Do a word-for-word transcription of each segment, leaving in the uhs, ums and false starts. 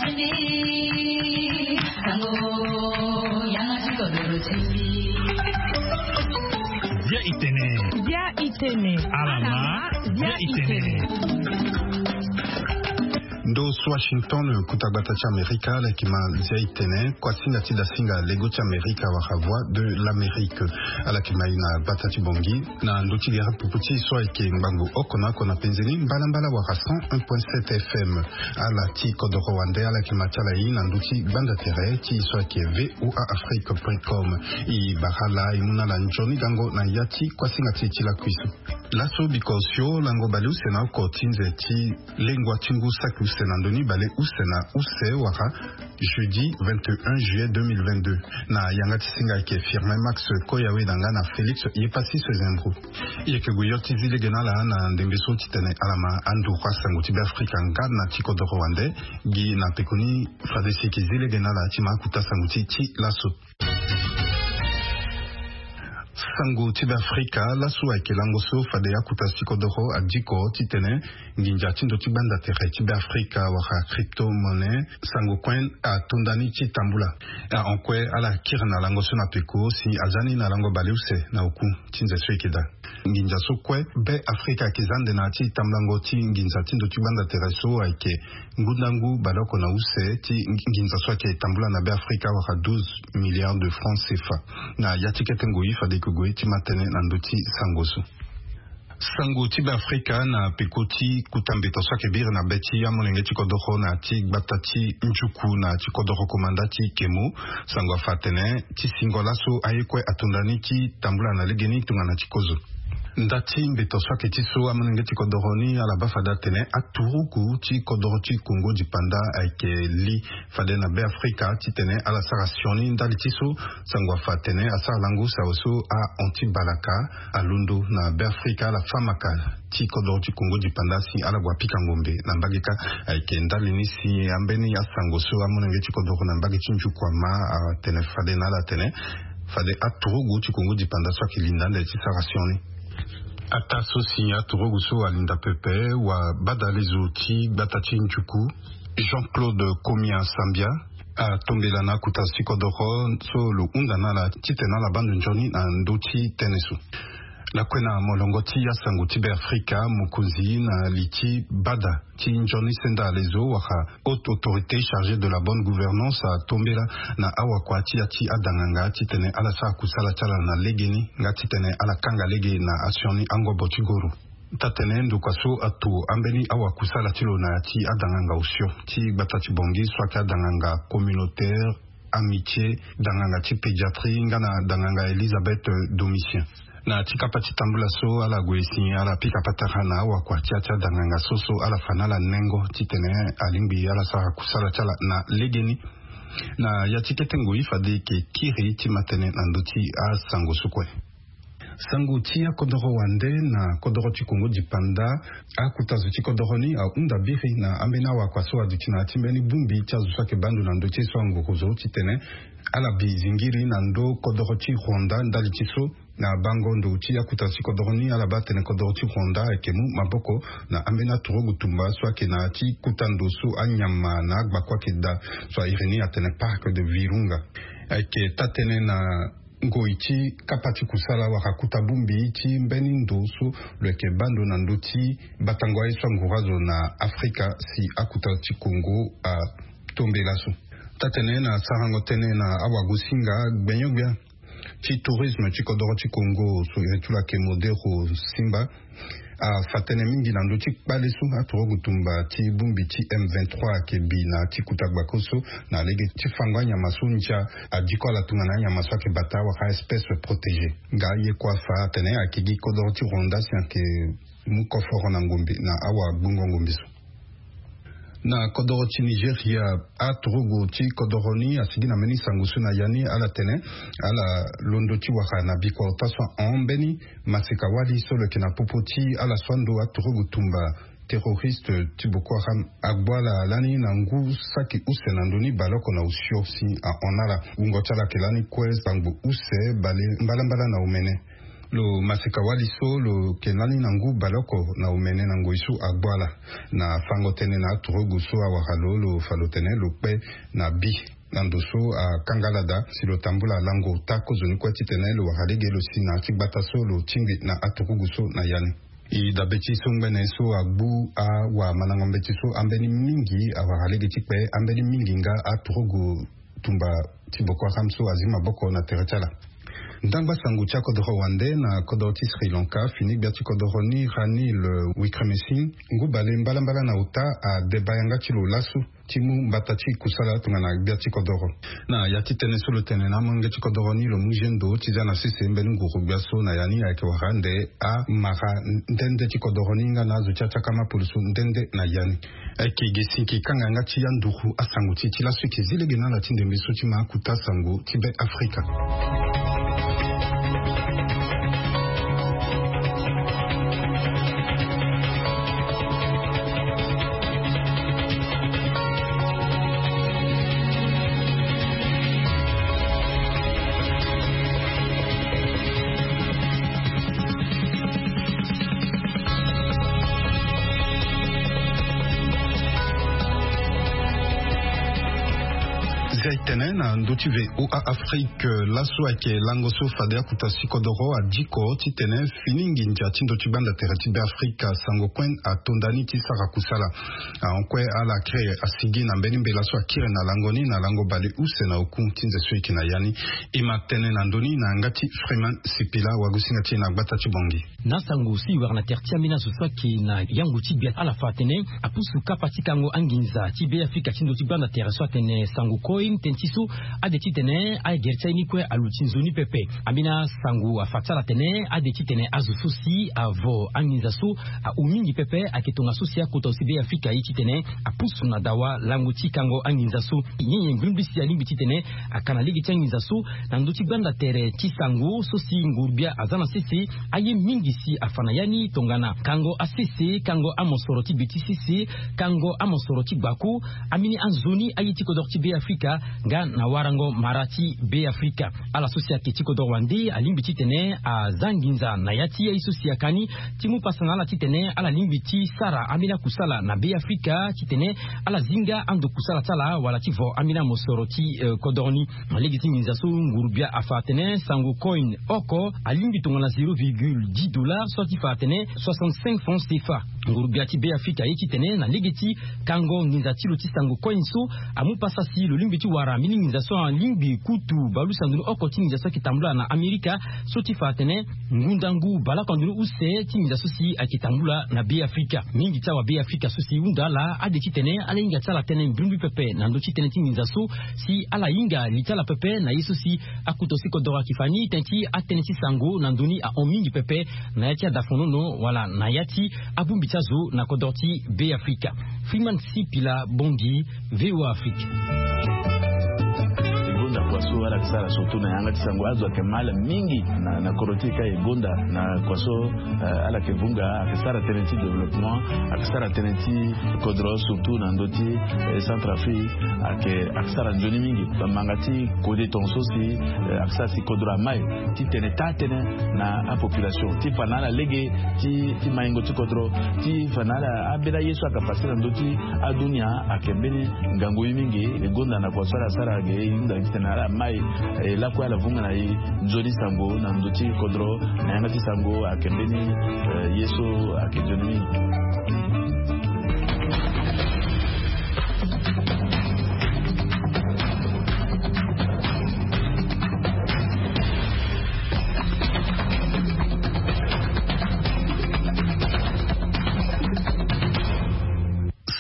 Dia itene. Dia itene. Alama. Dia itene. Ndo so Washington, kuta gbata ti Amerika, ala yeke ma Dia itene, kuasinga ti dasinga lego ti Amerika wala Voix de l'Amérique. Ala yeke ma ye na gbata ti Bangui na ndö ti gere pupu ti so ayeke ngbangbo oko na oko na penze ni, mbalambala wala cent un point sept F M. Ala ti kodoro wande, ala yeke ma ti ala ye na ndö ti gbanda tere ti so ayeke V O A Afrique point com. E bara ala, e mu na ala nzoni gango na ya ti kuasinga ti e ti lakui so. Laso biko osio lango baleuse na oko ti nze ti lengua ti ngu saki use na ndö ni baleuse na use wala jeudi vingt et un juillet deux mille vingt-deux. Na yanga ti singa ayeke Firmin Max Koyawe na nga na Félix Yepassis Zembro. E yeke gue yo ti zi lege na ala na ndembe so titene ala ma anduru asango ti Beafrika nga na ti kodoro wande. Gi na pekoni fade si e yeke zi lege na ala ti ma akuta sango ti ti laso. Sango ti Beafrika laso ayeke lango so fade akuta ti kodoro adiko titene nginza ti ndo ti gbanda tere ti Beafrika wala crypto-monnaie, sango kue atonda ni ti tambula. Ahon kue ala kiri na lango so na peko si aza ni na lango baleuse na oku ti nze so e yeke daa. Nginza so kue Beafrika ayeke za ande na ya ti tambulango ti nginza ti ndo ti gbanda tere so ayeke ngundangu baleoko na use ti nginza so ayeke tambula na Beafrika wala douze milliards de francs C F A. Na ya ti kete ngoi fade e yeke gue ti ma tënë na ndö ti sango so. Sango ti Beafrika na peko ti kuta mbeto so ayeke biri na be ti amolenge ti kodoro na ya ti gbata ti Njuku na ya ti kodoro komanda ti Kemo. Sango afa atene ti singo laso aye kue atonda ni ti tambula na legeni tongana ti kozo. Nda ti mbeto so ayeke ti so amolenge ti kodoro ni ala baa fade atene aturugu ti kodoro ti Kongo dipanda ayeke li fade na Beafrika titene ala sara sioni ndali ti so sango afa atene asara lango sawa so ahon ti balaka alondo na Beafrika ala fa maka ti kodoro ti Kongo dipanda si ala gue apika ngombe na mbage kâ. Ayeke ndali ni si ambeni asango so amolenge ti kodoro na mbage ti Njuku ama atene fade na ala atene fade aturugu ti Kongo dipanda so ayeke linda ande ti sara sioni. Ataa so si aturugu so alinda pepe wa badalezo ti gbata ti Njuku, Jean-Claude Komia Sambia, atombela na akuta ti kodoro so lo hunda na ala titene ala baa ndo nzoni na ndö ti tënë so. Lakue na molongo ti asango ti Beafrika, mokonzi na li ti bada ti nzoni senda alezo wala haute autorité chargée de la bonne gouvernance atombela na awakua ti ya ti adanganga titene ala sara kusala ti ala na legeni nga titene ala kanga lege na asioni angobo ti goro. Taa-tënë ndokua so ato ambeni awakusala ti lo na ya ti adanganga osio ti gbata ti Bangui so ayeke adanganga communautaire, amitié, danganga ti pédiatrie nga na danganga Elisabeth Domitien. Na ti kapa ti tambula so ala gue si ala pika patara na awakua ti ya ti adanganga so so ala fa na ala nengo titene alingbi ala sara kusala ti ala na legeni. Na ya ti kete ngoi fade e yeke kiri ti ma tënë na ndö ti asango so kue. Sango ti akodoro wande na kodoro ti Kongo dipanda, akuta zo ti kodoro ni ahunda biri na ambeni awakua so aduti na ya ti mbeni bongbi ti azo so ayeke baa ndo na ndö ti ye so anguru zo titene ala bi zingiri na ndö kodoro ti Rwanda ndali ti so na bango ndo ti akuta ti kodoro ni ala baa atene kodoro ti Rwanda ayeke mu maboko na ambeni aturugu tumba so ayeke na ya ti kuta ndo so anyama na agbako ayeke daa so a iri ni atene Parc de Virunga. Ayeke taa-tënë na ngoi ti kapa ti kusala wala kuta bongbi ti mbeni ndo so lo yeke baa ndo na ndö ti batango aye so anguru azo na Afrika si akuta ti Kongo atombe laso. Taa-tënë na sarango tënë na awagosinga gbenyo-gbia ti tourisme ti kodoro ti Kongo so iri ti lo ayeke Modero Simba afa tënë mingi na ndö ti kpale so aturugu tumba ti bongbi ti M vingt-trois ayeke bi na ti kuta gbako so na lege ti fango anyama so ndia adiko ala tongana anyama so ayeke bata wala espèce protégée. Nga ye kue afa atene ayeke gi kodoro ti Rwanda si ayeke mu koforo na ngombe na awagbongo ngombe so. Na kodoro ti Nigeria, aturugu ti kodoro ni asigi na mbeni sango so na ya ni ala tene ala londo ti wara na bikua ota so ahon mbeni maseka-wali so lo yeke na popo ti ala so ando aturugu tumba terroriste ti Boko Haram agbu ala lani na ngu saki use na ndö ni baleoko na osio si ahon na ala. Wungo ti ala ayeke lani kue sangbo use bale mbalambala na omene. Lo maseka-wali so lo yeke lani na ngu baleoko na omene na ngoi so agbu ala. Na fango tënë na aturugu so awara lo, lo fa lo tene lo kpe na bi na ndo so akanga ala daa si lo tambula lango ota kozoni kue titene lo wara lege lo si na ya ti gbata so lo tingbi na aturugu so na ya ni. E dabe ti so ngbene so agbu awamandango mbeti so ambeni mingi awara lege ti kpe, ambeni mingi nga aturugu tumba ti Boko Haram so azi maboko na tere ti ala. Ndangba sango ti akodoro wande na kodoro ti Sri Lanka fini gbia ti kodoro ni Ranil Wickremesinghe ngu bale mbalambala na ota adeba yanga ti lo laso ti mu mbata ti kusala tongana gbia ti kodoro. Na ya ti tënë so lo tene na amolenge ti kodoro ni lo mu zendo ti za na sese mbeni nguru gbia so na ya ni ayeke wara ande amara nde nde ti kodoro ni nga na azo ti atiakama pulusu nde nde na ya ni. Ayeke gi sinki kanga yanga ti anduru asango ti e ti laso e yeke zi lege na ala ti ndembe so ti ma akuta sango ti Be Afrika. Zia e tene na ndö ti V O A Afrique, laso ayeke lango so fade akuta si kodoro adiko titene fini nginza ti ndö ti gbanda tere ti Be Afrika sango kue ato nda ni ti sara kusala. Ahon kue ala kiri asigi na mbeni mbela so akiri na lango ni na lango bale use na oku ti nze so e yeke na ya ni. E ma tene na ndö ni na yanga ti Freeman Sipila wagosinga ti e na gbata ti Bangui. Na asango so e wara na tere ti ambeni azo so ayeke na yango ti gbia ala fa atene apusu kapa ti kango anginza ti Be Afrika ti ndö ti gbanda tere so atene sango koi tënë ti so ade titene agere ti aye ni kue aluti nzoni pepe. Ambeni asango afa ti ala atene ade titene azo so si avo anginza so ahu mingi pepe ayeke tongaso si akota aussi Be Afrika aye titene apusu na dawa lango ti kango anginza so. Nyen nyen mbrimbri si alingbi titene aka na lege ti anginza so na ndö ti gbanda tere ti sango so si nguru-gbia aza na sese. Aye mingi si afa na ya ni tongana kango asese, kango amosoro ti be ti sese, kango amosoro ti gbako, ambeni anzoni aye ti kodoro ti Be Afrika nga na warango mara ti Be Afrika. Ala so si ayeke ti kodoro wande alingbi titene aza nginza na ya ti aye so si aka ni ti mu pasa na ala titene ala lingbi ti sara ambeni akusala na Be Afrika titene ala zi nga ando kusala ti ala wala ti vo ambeni amosoro ti, eh, kodoro ni. Na lege ti nginza so nguru-gbia afa atene sango coin oko alingbi tongana zéro virgule dix dollars so ti fa atene soixante-cinq francs C F A. Nguru-gbia ti Be Afrika aye titene na lege ti kango nginza ti lo ti sango coin so amu pasa si lo lingbi ti wara mbeni nginza so alingbi kutu bale use na ndoni oko ti nginza so ayeke tambula na Amerika so ti fa atene ngundangu baleoko na ndoni use ti nginza so si ayeke tambula na Be Afrika. Mingi ti awa Be Afrika so si e hunda ala ade titene ala hinga ti ala tënë mbrimbri pepe na ndö ti tënë ti nginza so si ala hinga li ti ala pepe na ye so si akuta aussi kodoro ayeke fa ni tënë ti atënë ti sango na ndö ni ahon mingi pepe na ya ti adafonono wala na ya ti abongbi ti azo na kodoro ti Be Afrika. Freeman Sipila, Bangui, V O A Afrique. E gonda kua so ala yeke sara surtout na yanga ti sango azo ayeke ma ala mingi na, na kodro ti e ka e gonda na kua so, eh, ala yeke vunga ayeke sara tënë ti développement, ayeke sara tënë ti kodro surtout na ndö ti, eh, Centrafrique, ayeke, ayeke sara nzoni mingi. Bamanga ti kode tongaso si, eh, ayeke sara si kodro amai ti tene taa tënë na apopulation ti fa na ala lege ti, ti maingo ti kodro, ti fa na ala ambeni aye so ayeke pase na ndö ti adunia ayeke mbeni ngangu ye mingi. E gonda na kua so ala sara ge e hunda gi titene ala mai, e lakue ala vunga na e nzoni sango na ndö ti kodro na yanga ti sango ayeke mbeni, eh, ye so ayeke nzoni mingi.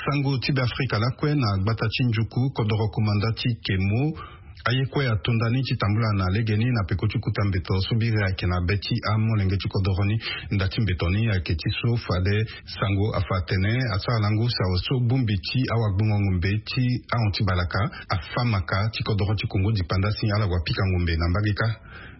Sango ti Beafrika lakue na gbata ti Njuku, kodoro komanda ti Kemo, aye kue ato nda ni ti tambula na legeni na peko ti kota mbeto so biri ayeke na be ti amolenge ti kodoro ni. Nda ti mbeto ni ayeke ti so fade sango afa atene asara lango si awe so bongbi ti awagbongo ngombe ti ahon ti balaka afa maka ti kodoro ti Kongo dipanda si ala wa pika ngombe na mbage kâ.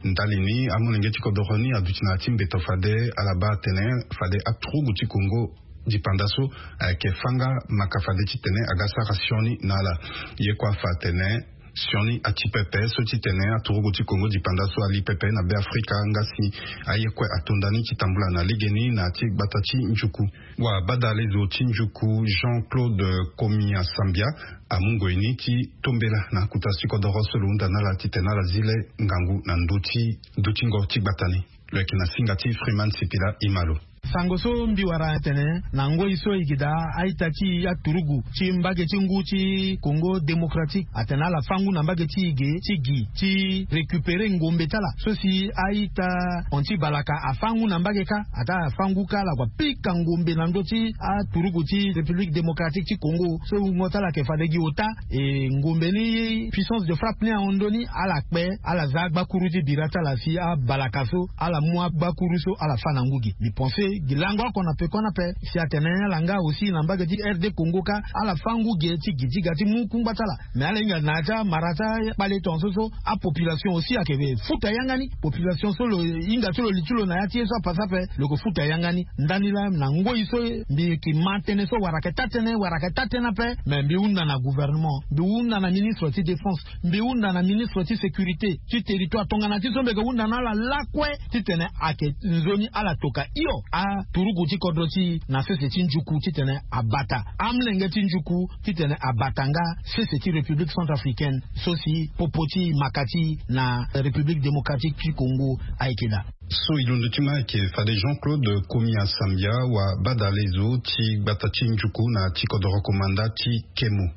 Ndali ni amolenge ti kodoro ni aduti na ya ti mbeto fade ala baa atene fade aturugu ti Kongo dipanda so ayeke fâ nga maka fade titene aga sara sioni na ala. Ye kue afa atene Sioni ati pepe so titene aturugu ti Kongo dipanda so ali pepe na Be Afrika nga si aye kue atonda ni ti tambula na legeni na ti gbata ti njuku. Wa badalezo ti njuku Jean-Claude Komi Asambia amu ngoi ni ti tombela na akuta ti kodoro so lo hunda na ala titene ala zi le ngangu na ndö ti dutingo ti gbata ni. Lo yeke na singa ti Freeman Sipila Imalo. Sango so mbi wara atene na ngoi so e yeke daa a-ita ti aturugu ti mbage ti ngu ti Congo Démocratique atene ala fâ ngu na mbage ti e ge ti gi ti récupérer ngombe ti ala so si a-ita hon ti balaka afâ ngu na mbage kâ. Ataa afâ ngu kâ ala kua pika ngombe na ndö ti aturugu ti République Démocratique ti Congo so wungo ti ala yeke fade gi ota. E ngombe ni puissance de frappe ni ahon ndö ni ala kpe ala za agbakuru ti bira ti ala si abalaka so ala mu agbakuru so ala fâ na ngu gi. Mbi pense gi lango oko na peko ni ape si atene ala nga aussi na mbage ti R D Congo kâ ala fâ ngu ge ti gi ti ga ti mu kungba ti ala. Mais ala hinga na ya ti amara ti akpale tongaso so apopulation aussi ayeke futa yanga ni. Population so lo hinga ti lo li ti lo na ya ti ye so apasa ape lo yeke futa yanga ni. Ndani laa na ngoi so mbi yeke ma tënë so wara ayeke taa tënë wara ayeke taa tënë ape. Mais mbi hunda na gouvernement, mbi hunda na ministre ti défense, mbi hunda na ministre ti sécurité ti territoire tongana ti so mbi yeke hunda na ala lakue titene ayeke nzoni ala toka hio aturugu ti kodro ti e na sese ti njuku titene abata amolenge ti njuku titene abata nga sese ti République Centrafricaine so si popo ti maka ti e na République Démocratique ti Congo ayeke daa. So e londo ti ma ayeke fade Jean-Claude Komi Asambia wa badalezo ti gbata ti njuku na ti kodoro komanda ti Kemo.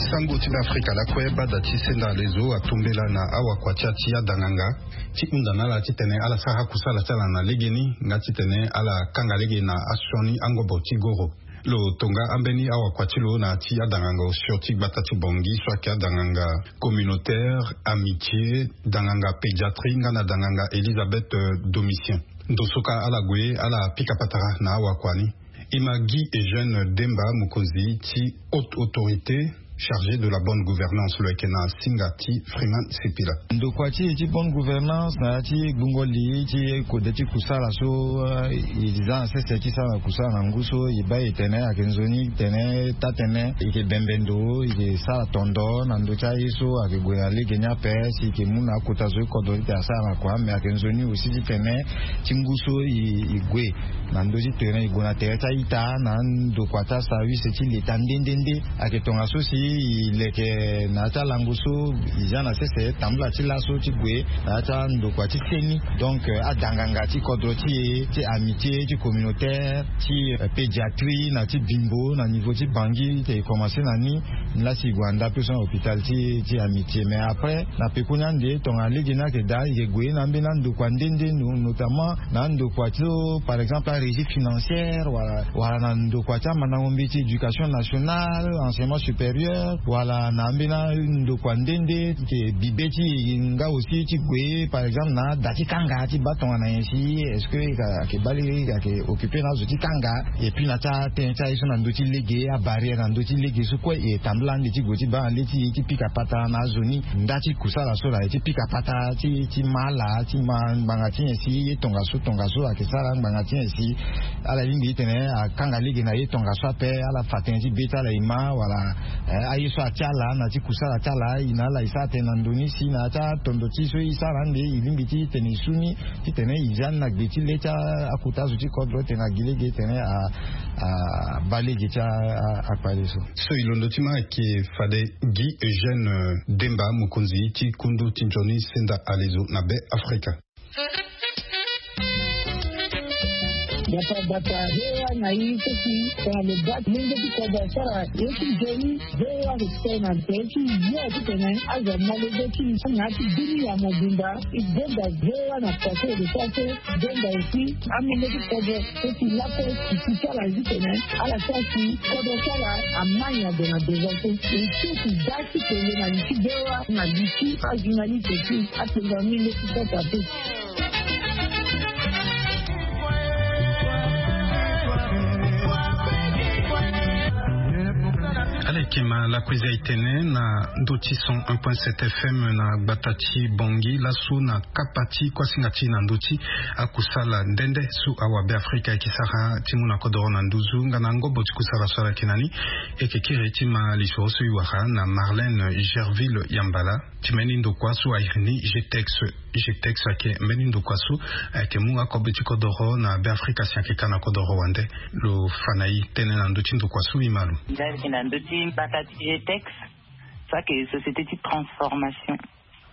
Sango ti Be Afrika lakue, bada ti senda alezo atombela na awakua ti ya ti adanganga ti hunda na ala titene ala sara akusala ti ala na legeni nga titene ala kanga lege na asioni angobo ti goro. Lo tonga ambeni awakua ti lo na ya ti adanganga osio ti gbata ti Bangui so ayeke adanganga communautaire, amitié, danganga pédiatrie nga na danganga Elisabeth, euh, Domitien. Ndo so kâ ala gue ala pika patara na awakua ni. E ma Guy Eugène Demba, mokonzi ti haute autorité chargée de la bonne gouvernance, lo yeke na singa ti Freeman Sipila. Ndokua ti e ti bonne gouvernance na ya ti gbungo li ti kode ti kusala so, eh, e za na sese ti sara na kusala na ngu so e baa e tene ayeke nzoni tene taa-tënë e yeke bembe ndo, e yeke sara tondo na ndö ti aye so ayeke gue na lege ni ape si e yeke mu na akota zo ti kodro titene asara na kua. Mais ayeke nzoni aussi titene ti ngu so e, e gue na ndö ti tere e gue na tere ti a-ita na ndokua ti aservice ti leta nde nde nde. Ayeke tongaso si e leke na ya ti alango so e za na sese tambula ti laso ti gue na ya ti andokua ti seni. Donc, euh, adanganga ti kodro ti e ti amitié ti communautaire ti, euh, pédiatrie na ti bimbo na niveau ti Bangui ti e komanse na ni. Laa si e gue na ndapio so na hôpital ti, ti amitié. Mais après na pekoni ande tongana lege ni ayeke daa e yeke gue na ambeni andokua nde nde, no-, notamment na andokua ti so par exemple arégie financière wala, wala na ndokua ti amandango mbeti éducation nationale, enseignement supérieur, wala na ambeni andokua nde nde ti bibe ti e nga aussi ti gue par exemple na ada ti kanga ti baa tongana nyen si est-ce que ayeke baa lege ayeke occupé na azo ti kanga. Et puis na ti atënë ti aye so na ndö ti lege, abarrière na ndö ti lege so kue e tambula ande ti gue ti baa na le ti e ti pika patara na azo ni. Nda ti kusala so la e ti pika patara ti, ti ma ala ti ma ngbanga ti nyen si ye tongaso tongaso ayeke sara ngbanga ti nyen si ala lingbi titene akanga lege na ye tongaso ape. Ala fa tënë ti be ti ala e ma wala, eh, aye so atia ala na ti kusala ti ala e na ala e sara tënë na ndo ni si na ya ti atondo ti so e sara ande e lingbi ti tene e su ni titene e zia ni na gbe ti le ti akota zo ti kodro titene agi lege titene a, abaa lege ti a, a, akpale so. So e londo ti ma ayeke fade Guy Eugène, euh, Demba, mokonzi ti kundu ti nzoni senda alezo na Be Afrika. Bata bata, V O A na i seki tongana lo baa ti lenge ti kodro asara ye ti nzoni. V O A respect na tere ti yo titene azo amolenge ti i na ya ti bini ya mobimba. I benda V O A na kua so e lo sara so. Benda aussi amolenge ti kodro so ti lakue ti ti ti ala zi tene ala sara si kodro ti ala ama nyen ade na devant so. E so ti daa ti kele na li ti V O A na li ti ajournaliste ti apengo amolenge ti kota pe. Ala yeke E ma lakui za itene na ndö ti cent un point sept F M na gbata ti Bangui laso na kapa ti kuasinga ti na ndö ti akusala nde nde so awabe Afrika ayeke sara ti mu na kodoro na nduzu nga na ngobo ti kusala so ala yeke na ni. E yeke kiri ti ma lisoro so e wara na Marlène Gerville Yambala ti mbeni ndokua so airi ni G T E X. G T E X ayeke mbeni ndokua so ayeke mu akobe ti kodoro na Be Afrika si ayeke ka na kodoro wande. Lo fa na e tënë na ndö ti ndokua so e ma lo. Nda ayeke na ndö ti mbata ti G T E X, so ayeke société ti transformation.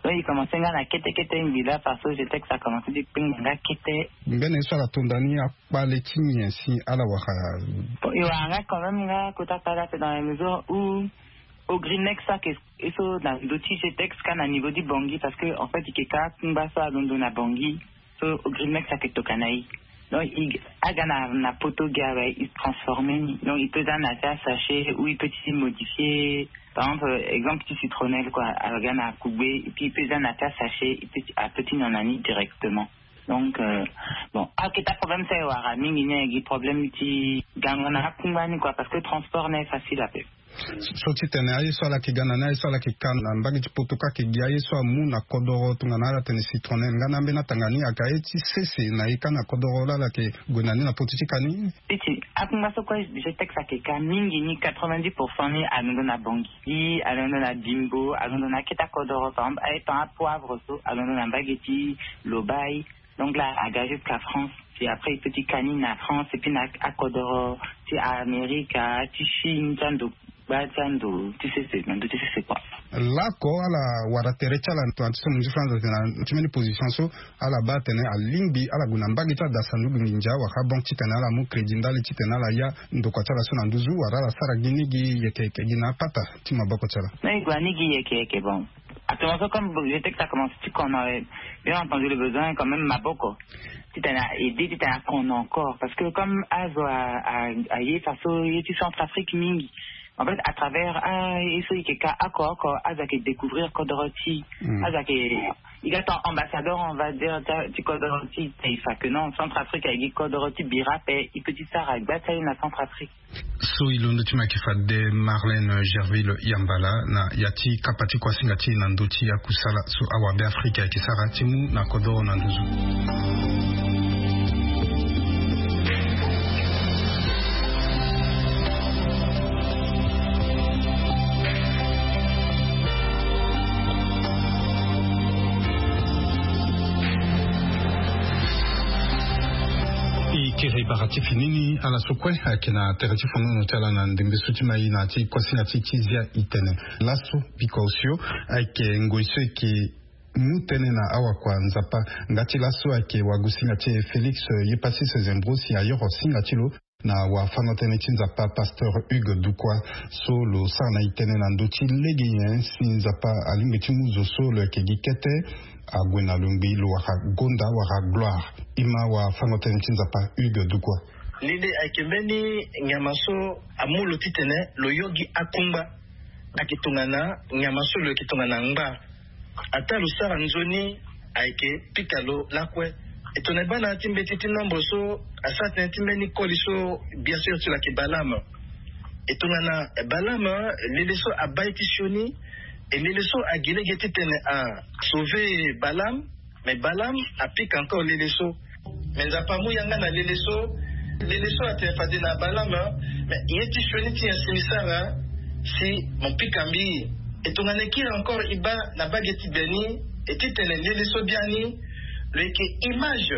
Donc e commencé nga na kete kete ngbila parce que G T E X a commencé ti kpengba nga kete. Mbeni ye so ala tonda ni akpale ti nyen si ala wara? Bon, e wara nga quand même nga kota kpale ape dans la mesure où Ogrinex so ayeke e so na ndö ti G T E X ka na niveau ti Bangui parce que en fait e yeke ka akungba so alondo na Bangui. So Ogrinex ayeke tokua na e. Donc e aga na, na poto gi awe e transformé ni. Donc e peut za na ya ti asachet ou e peut ti modifié. Par exemple, exemple ti citronnelle quoi, aga na kugbe et puis e peut za na ya ti asachet e peut ti, a peut ti nyon na ni directement. Donc euh, bon, aketa problème so e wara mingi ni ayeke gi problème ti gango na akungba ni quoi parce que transport ni aye facile ape. So titene aye so ala yeke ga na ni, aye so ala yeke ka na mbage ti poto kâ ayeke gi aye so amu na kodoro tongana ala tene citronnelle nga na ambeni atanga ni ayeke aye ti sese na e kâ na kodoro laa ala yeke gue na ni na poto ti ka ni. Ti ti akungba so kue G T E X ayeke ka mingi ni quatre-vingt-dix pour cent ni alondo na Bangui, alondo na Bimbo, alondo na akete akodoro par exemple aye ton apoivre so alondo na mbage ti Lobaye. Donc là aga jusqu'à France. Puis après e peut ti ka ni na France et puis na akodoro ti Amerika ti Chine ti ando gba ti ando ti sese na ndö ti sese quoi. Laoko ala wara tere ti ala na tongana ti so mo nzi France atene na ti mbeni position so ala baa atene alingbi ala gue na mbage ti adasa ndugu nginza wala banque titene ala mu crédit ndali titene ala ya ndokua ti ala so na nduzu wala ala sara gi ni gi yeke yeke gi na apata ti maboko ti ala. Na e gue na ni gi yeke yeke bon. Actuellement so comme G T E X a commencé ti kono, bien entendu le besoin quand même maboko titene a aidé titene a kono encore parce que comme azo aye faso ye ti Centrafrique mingi. En fait à travers aye so e yeke ka oko oko azo ayeke découvrir kodoro ti e. Azo ayeke e ga ton ambassadeur on va dire ti kodoro ti e. Te e fa que non, Centrafrique ayeke gi kodoro ti bira ape. E peut ti sara gba ti aye na Centrafrique. So e londo ti mo ayeke fade Marlène Gerville Yambala na ya ti kapa ti kuasinga ti e na ndö ti akusala so awabe Afrika ayeke sara ti mu na kodoro na nduzu. E kiri bara ti fini ni ala so kue ayeke na tere ti fonono ti ala na ndembe so ti ma e na ya ti kuasinga ti e ti zia itene. Laso pika osio ayeke ngoi so e yeke mu tënë na awakua Nzapa. Nga ti laso ayeke wagosinga ti e Félix Yepassis Zembro si ayoro singa ti lo na wafango-tënë ti Nzapa pasteur Hugues Dukwa so lo sara na e tënë na ndö ti lege nyen si Nzapa alingbi ti mu zo so lo yeke gi kete ague na lo ngbii lo wara gonda wara gloire. E ma wafango-tënë ti Nzapa Hugues Dukwa. Lili ayeke mbeni nyama so amu lo titene lo yo gi akungba. Ayeke tongana nyama so lo yeke tongana ngba. Ataa lo sara nzoni ayeke pika lo lakue. E tongana e baa na ya ti mbeti ti nombre so asara tënë ti mbeni koli so bien sûr ti lo ayeke Balaam. E tongana Balaam lele so abaa ye ti sioni. E lele so agi lege titene a sauver Balaam. Mais Balaam apika encore lele so. Mais Nzapa amu yanga na lele so. Lele so atene fade na Balaam. Mais ye ti sioni ti nyen si mi sara si mo pika mbi? E tongana e kiri encore e baa na mbage ti gbe ni e titene lele so biani lo yeke image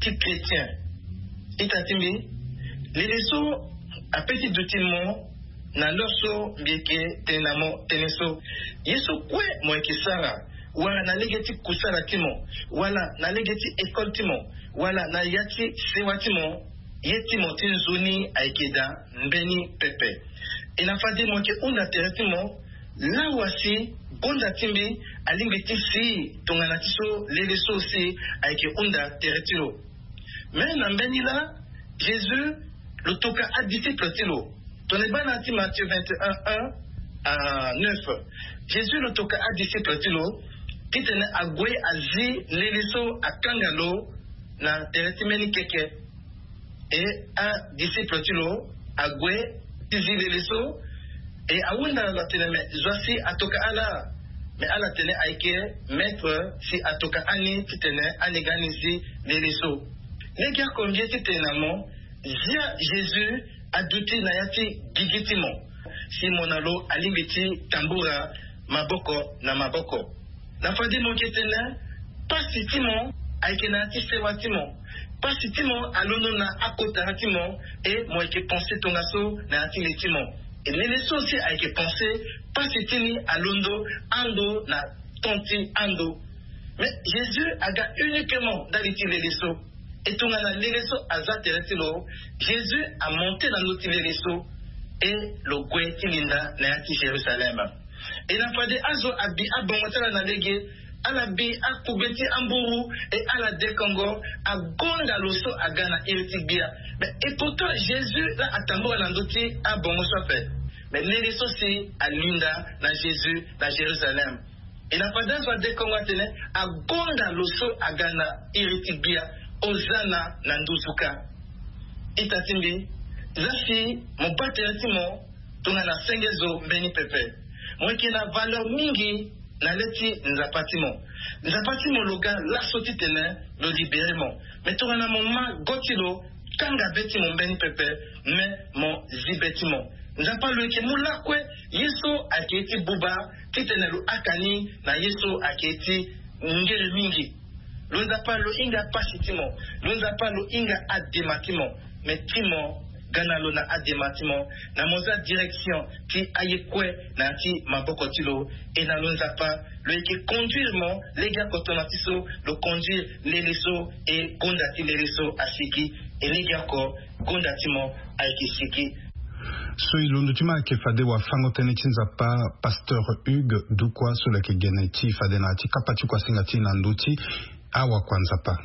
ti chrétien. Ita ti mbi, lele so ape ti duti mo na l'heure so mbi yeke tene na mo tënë so. Ye so kue mo yeke sara wala na lege ti kusala ti mo wala na lege ti école ti mo wala na ya ti sewa ti mo, ye ti mo ti nzoni ayeke daa mbeni pepe. E na fade mo yeke hunda tere ti mo lawa si gonda ti mbi alingbi ti si tongana ti so lele so si ayeke hunda tere ti lo. Me na mbeni laa Jésus lo toka adisciple ti lo. Tongana e baa na ya ti Matthieu vingt et un un à neuf, Jésus lo toka adisciple ti lo titene ague azi lele so akanga lo na tere ti mbeni keke. E adisciple ti lo ague ti zi lele so. E ahunda lo atene me zo asi atoka ala. Me ala tene ayeke maître si atoka ani titene ani ga ani zi lele so. Lege oko mbi ye titene na mo, zia Jésus aduti na ya ti gigi ti mo, si mo na lo alingbi ti tambura maboko na maboko. Na fade mo yeke tene pasi ti mo ayeke na ya ti sewa ti mo. Pasi ti mo alondo na akota ti mo. E mo yeke pense tongaso na ya ti le ti mo. E lele so si ayeke pense, pasi ti ni alondo ando na ton ti ando. Mais Jésus aga uniquement ndali ti lele so. E tongana lele so aza tere ti lo, Jésus amonte na ndö ti lele so. E lo gue ti linda na ya ti Jérusalem. E na fade azo abi abongo ti ala na lege, ala bi akugbe ti amburu, e ala dekongo, agonda lo so aga na iri ti gbia. Mais e pourtant Jésus la atambula na ndö ti abongo so ape. Mais lele so si alinda na Jésus na Jérusalem. E na fade azo adekongo atene, agonda lo so aga na iri ti gbia, ozana na nduzu kâ. Ita ti mbi, za si mo baa tere ti mo tongana senge zo mbeni pepe. Mo yeke na valeur mingi na le ti Nzapa ti mo. Nzapa ti mo lo ga laso titene lo libéré mo. Mais tongana mo ma go ti lo, kanga be ti mo mbeni pepe, mais mo zi be ti mo. Nzapa lo yeke mu lakue ye so ayeke ye ti buba, titene lo haka ni na ye so ayeke ye ti ngere mingi. Lo Nzapa lo hinga pasi ti mo. Lo Nzapa lo hinga adema ti mo. Mais ti mo ga na lo na adema ti mo, na mo za direction ti aye kue na ya ti maboko ti lo. E na lo Nzapa lo yeke conduire mo lege oko tongana ti so lo conduire lele so, e gonda ti lele so asigi. E lege oko gonda ti mo ayeke sigi. So e londo ti mo ayeke fade wafango-tënë ti Nzapa, Pasteur Hugues Dukwa, so lo yeke gene ti fade na ya ti kapa ti kuasinga ti e na ndö ti awakua Nzapa.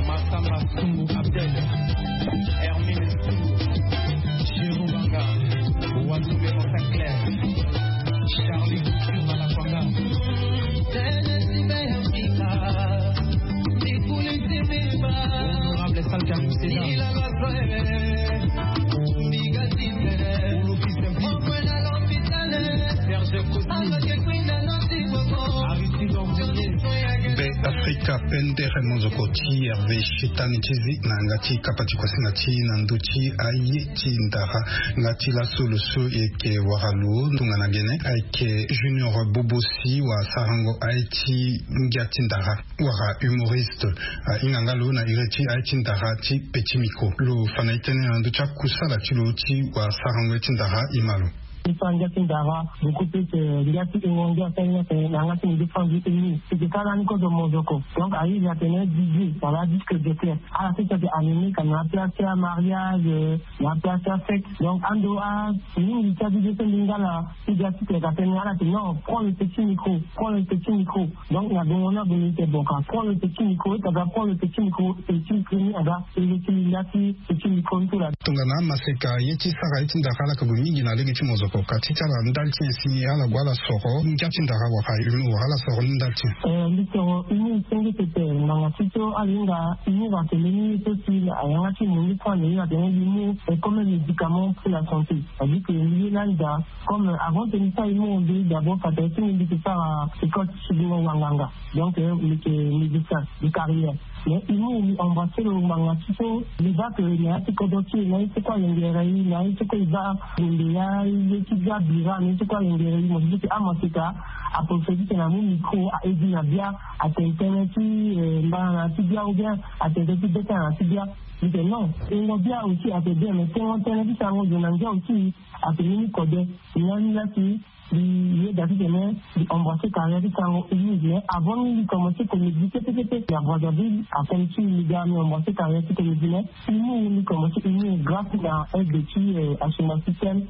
Massamba Sumbu Abdel, Hermine Sumbu, Jérôme Banga, Watumbe Montanclair, Charlie Malakwanga, Honorable Salka Kusela, Serge Kosi. Be Afrika pendere mozoko ti Hervé Shetani ti zi na yanga ti kapa ti kuasinga ti na ndö ti aye ti ndara. Nga ti laso lo so e yeke wara lo tongana gene ayeke Junior Bobosi, wa sarango aye ti ngia ti ndara, wala humoriste. Ahinga nga lo na iri ti aye ti ndara ti Petit Micro. Lo fa na e tënë na ndö ti akusala ti lo ti wa sarango aye ti ndara. E ma lo. Ti fa ngia ti ndara, beaucoup plus, euh, ngia ti ingo ngia ti aye ni atene na yanga ti mbi ti fa ngi eni. Ti ke ka lani kozo mozoko. Donc ayizi atene D J, wala disque de clair. Ala ti ti ake animé ka na place ti amariage, euh, na place ti afête. Donc ando a mingi ti a D J so mbi nga na ti ga ti ake atene ala ti non, prends le petit micro, prends le petit micro. Donc na bongo na bongo ti bon ka prends le petit micro, ti aga prends le petit micro, petit micro ni aga. Tongana maseka ye ti sara ye ti ndara ala yeke gue mingi na lege ti mozoko ka ti ti ala ndali ti nyen si ala gue ala soro ngia ti ndara wala humour wala ala soro ni ndali ti nyen? Eh, mbi soro humour senge pepe. Ngbanga ti so ala hinga humour atene ni ye so si ayanga ti mo ni so ala hinga atene humour est comme un médicament pour la santé. C'est-à-dire que mbi ye lani daa, comme avant ti mbi sara humour, mbi d'abord fa tene ti mbi mbi yeke sara école ti sidingo wanganga. Donc, euh, mbi yeke médecin de carrière. Mais humour mbi embrasser lo ngbanga ti so mbi baa que na ya ti kodro ti e na ye ti kue alingere e, na ye ti kue e baa gombe ya ye ti bia bira na ye ti kue alingere e. Mo ti di que amaseka aprophétique na mu micro a aide na bia, atene tënë ti, eh, mbana na ti bia ou bien atene tënë ti beta na ti bia. Mbi tene non, tengo bia aussi ate bien, mais tengo tënë ti sarango zo na ngia aussi ate ni ni kode. Ni lani la si Mbi yeda titene mbi embrasser carrière ti sango Humou, mais avant ni mbi commencer comédie pepe pepe ya Brazzaville, akomi ti mbi ga mbi embrasser carrière ti comédie, mais Humou mbi commencer Humou grâce na aide ti, euh, Asuma Système,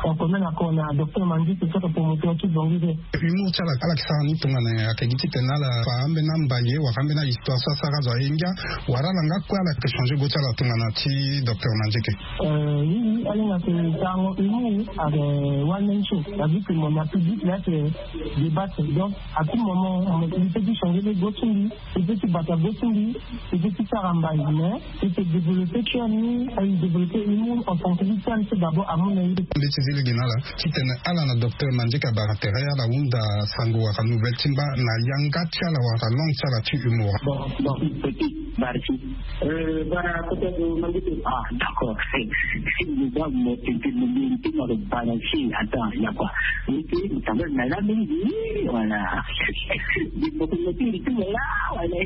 en commun accord na docteur Mandieke, so ake promoteur ti Bongi de. Humou ti ala, ala yeke sara ni tongana nyen? Ake gi titene ala fa ambeni ambaye wala ambeni ahistoire so asara azo aye ngia, wala ala nga kue ala yeke changer go ti ala tongana ti docteur Mandieke? Euh, oui, oui, ala hinga ake sarango Humou, ake one man show. C'est-à-dire que mon public là, c'est débattre. Donc, à tout moment, il peut changer les go ti mbi, il peut bata go ti mbi, il peut sara mbai, mais il peut développer cœur ni, il développer Humou en tant que victime, c'est d'abord à mon avis. Mbi ti zi lege na ala titene ala na docteur Mandieke abara tere ala hunda sango wala nouvelle ti mba na yanga ti ala wala langue ti ala ti Humou. Bon, bon, petit, merci. Euh, bara kota do Mandieke. Ah, d'accord. Si vous avez mon petit, mon petit, mon petit, attends, il y a quoi? Oui, oui, ça va, madame, oui, voilà. Des photos, mais puis, tout là, voilà.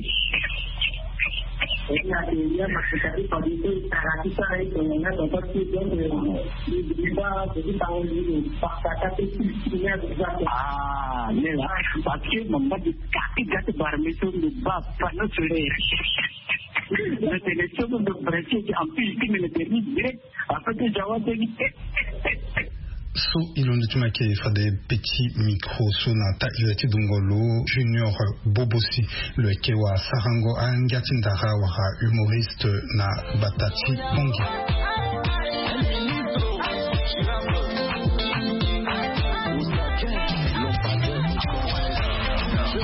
Ah, lela, parce que mama di kaki gati barme so ndo ba panneau solaire. Le télévision ndo branché en plus, qui me le permet direct. Après, tu vois, c'est so e londo ti mo ayeke fade petit micro so na taa iri ti dungo lo Junior Bobosi, lo yeke wara sarango angia ti ndara wala humoriste na gbata ti Bangui.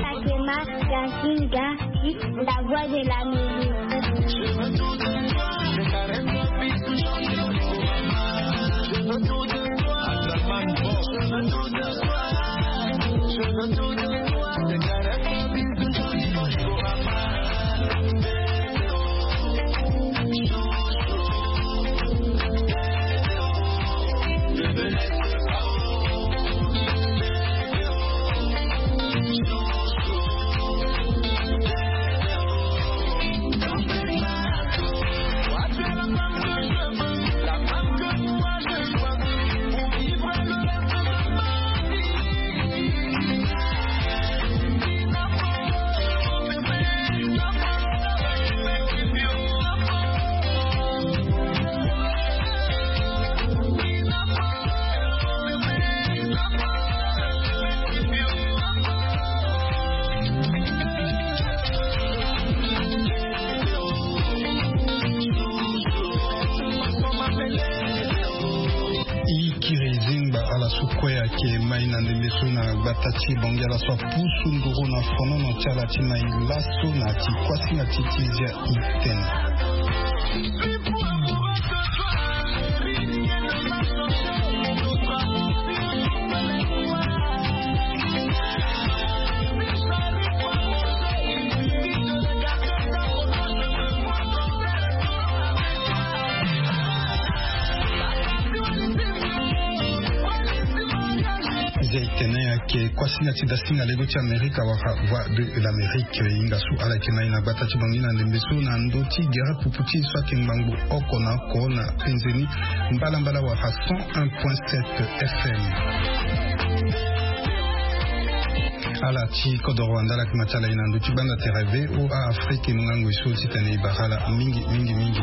Fatima Yasinga, la voix de l'Amérique. E kiri zingba ala so kue ayeke mai na ndembe so na gbata ti Bangui, ala so apusu nduru na fonono ti ala ti mai laso na ya ti kuasinga ti ti zia itene. Zia itene ayeke kuasinga ti dasinga lego ti Amerika wala Voix de l'Amérique. E hinga so ala yeke mai na gbata ti Bangui na ndembe so na ndö ti gere pupu ti e so ayeke ngbangbo oko na oko na penzeni mbalambala wala cent un point sept F M. Ala ti kodoro wanda ala yeke ma ti ala e na ndö ti gbanda tere V O A Afrique, e mu ngangu e so titene e bara ala mingi mingi mingi.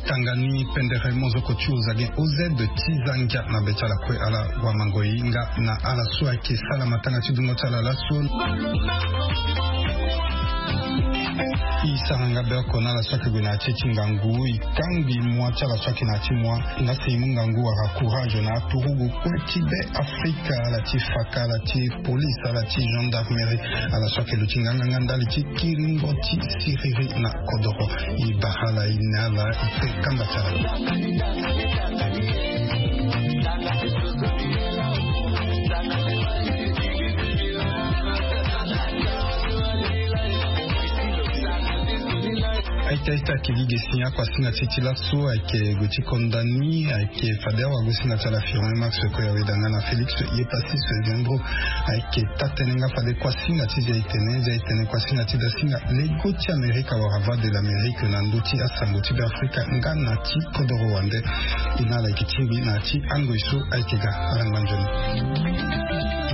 Tanga ni pendere mozoko ti Ozagen O Z ti za ngia na be ti ala kue, ala wamango e hinga na ala so ayeke sala matanga ti dungo ti ala laso. E sara nga be oko na ala so ayeke gue na ya ti e ti ngangu, e kangbi mua ti ala so ayeke na ya ti mua. Nga si e mu ngangu wala courage na aturugu kue ti be Afrika, ala ti faka, ala ti police, ala ti gendarmerie, ala so ayeke luti nganganga ndali ti kiringo ti siriri na kodoro. E bara ala, e ne ala, e te kamba ti ala. Ita ita kili ge si akuasinga ti ti laso ayeke gue ti konda ni ayeke fade awagosinga ti ala Firmin Max, koya weda nga na Félix Yepassis Gendro. Ayeke taa tënë nga fade kuasinga ti zia etene zia etene kuasinga ti dasinga lego ti Amerika wala Voix de l'Amérique na ndö ti asango ti Beafrika nga na ti kodoro wande. E na ala yeke tingbi na ya ti angoi so ayeke ga. Ala ngba nzoni.